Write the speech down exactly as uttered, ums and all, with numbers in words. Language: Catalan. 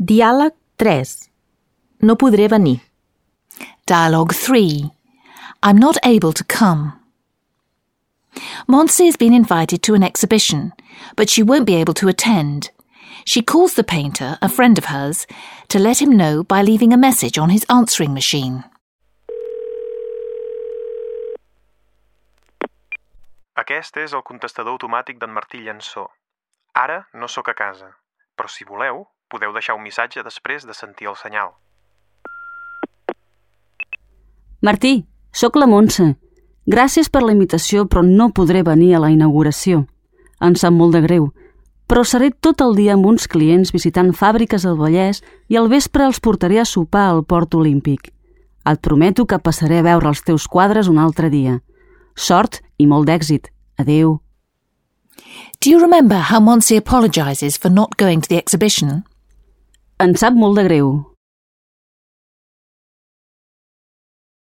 Diàleg tres. No podré venir. Dialogue three. I'm not able to come. Monse has been invited to an exhibition, but she won't be able to attend. She calls the painter, a friend of hers, to let him know by leaving a message on his answering machine. Aquest és el contestador automàtic d'en Martí Llençó. Ara no sóc a casa, però si voleu, podeu deixar un missatge després de sentir el senyal. Martí, sóc la Montse. Gràcies per la invitació, però no podré venir a la inauguració. Em sap molt de greu, però seré tot el dia amb uns clients visitant fàbriques al Vallès i al vespre els portaré a sopar al Port Olímpic. Et prometo que passaré a veure els teus quadres un altre dia. Sort i molt d'èxit. Adéu. Do you remember how Monse apologizes for not going to the exhibition? Em sap molt de greu.